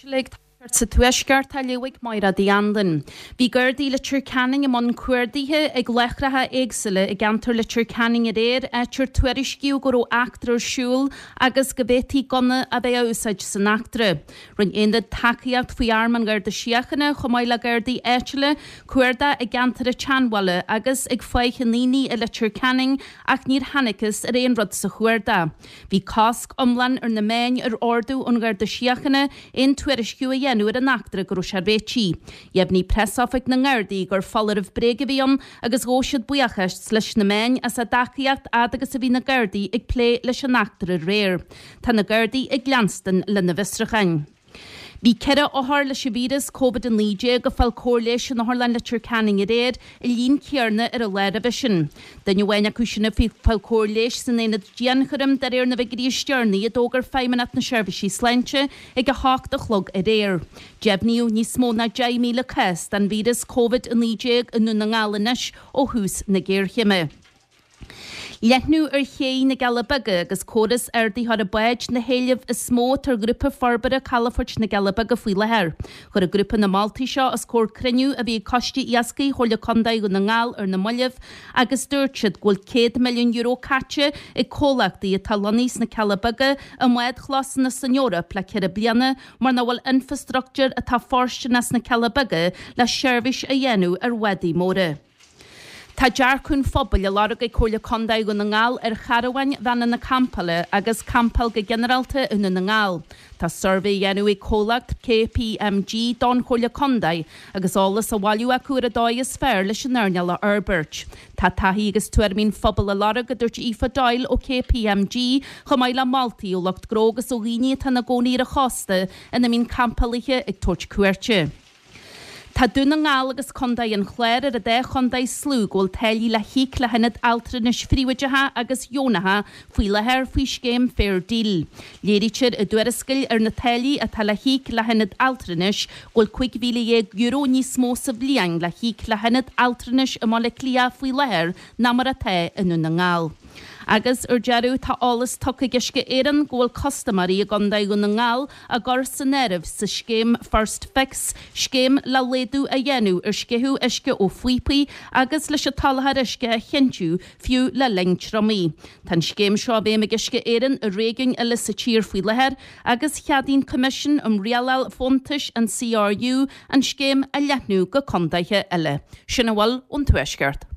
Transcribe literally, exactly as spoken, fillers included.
Ag sa Tuaisceart á léamh ag Máire Uí Anluain. Bhí Gardaí Leitir Ceanainn i mbun cuardaithe ag láithreacha éagsúla i gceantar Leitir Ceanainn aréir áit ar tuairiscíodh go raibh eachtra ar siúl agus go bhféadfaí gunna a bheith á úsáid san eachtra. Rinne aonad tacaíocht faoi arm an Gharda Síochána chomh maith le Gardaí áitiúla cuardach i gceantar an tSeanbhaile agus ag Faiche na nDaoine i Leitir Ceanainn ach níor thángthas ar aon rud sa chuardach. Bhí cosc iomlán ar na meáin ar ordú ón Gharda Síochána aon tuairisciú a dhéanamh ar an eachtra go raibh sé réitithe. Dheimhnigh preasoifig na nGardaí gur foláireamh bréige a bhí ann agus ghabh siad buíochas leis na meáin as a dtacaíocht fhad agus a bhí na Gardaí ag plé leis an eachtra aréir. Tá na Gardaí ag leanstan lena bhfiosrúcháin. Bhí ceithre othar leis an víreas Covid a naoi déag ag fáil cóir leighis in Otharlann Leitir Ceanainn aréir an líon céanna ar an lá roimhe sin. Duine amháin acu sin ag fáil cóir leighis san aonad dianchúraim de réir na bhfigiúirí is deireanaí a d'fhógair Feidhmeannacht na Seirbhísí Sláinte ag a hocht a chlog aréir. Deimhníodh níos mó ná deich míle cás den víreas Covid a naoi déag i nDún na nGall anois ó thús na géarchéime. Leathnú ar ché na gCealla Beaga agus córas ardaitheora báid na héilimh is mó atá ar Ghrúpa Forbartha Calafoirt na gCealla Beaga faoi láthair. Chuir an grúpa na moltaí seo os comhair cruinniú a bhí ag Coiste Iascaigh Chomhairle Contae Dhún na nGall ar na mallaibh agus dúirt siad go bhfuil céad milliún euro caite ag comhlachtaí atá lonnaithe sna Cealla Beaga i mbádchlósanna san Eoraip le ceithre bliana mar nach bhfuil infrastruchtúr atá fóirsteanach sna Cealla Beaga le seirbhís a dhéanamh ar bhádaí móra. Tá dearcadh an phobail á lorg ag Comhairle Contae Dhún na nGall ar charabháin veain na campála agus campáil go ginearálta i nDún na nGall. Tá suirbhé á dhéanamh ag comhlacht KPMG don Chomhairle Contae agus eolas á bhailiú acu ar an dóigh is fearr leis an earnáil a fhorbairt. Tá taithí agus tuairimí an phobail á lorg a dúirt Aoife Doyle ó KPMG chomh maith le moltaí ó lucht gnó agus ó dhaoine atá ina gcónaí ar an chósta ina mbíonn campálaithe ag tabhairt cuairte. Tá Dún na nGall agus Contae an Chláir ar an dá chontae is lú go bhfuil táillí le híoc le hionaid altranais phríobháideacha agus dheonacha faoi láthair faoi scéim Fair Deal. Léirítear i dtuarascáil ar na táillí atá le híoc le hionaid altranais go bhfuil cúig mhíle dhéag euro níos mó sa bhliain le híoc le hionad altranais i mBaile Átha Cliath faoi láthair ná mar atá i nDún na nGall. Agus ar deireadh tá eolas tugtha ag Uisce Éireann go bhfuil custaiméirí i gContae Dhún na nGall á gcur san áireamh sa scéim First Fix, scéim le laghdú a dhéanamh ar sceitheadh uisce ó phíopaí agus leis an tsoláthar uisce a chinntiú fiú le linn triomaigh. Tá an scéim seo i bhfeidhm ag Uisce Éireann i réigiúin eile sa tír faoi láthair agus cheadaigh an Coimisiún um Rialáil Fóntais an CRU an scéim a leathnú go contaetha eile. Sin a bhfuil ón Tuaisceart.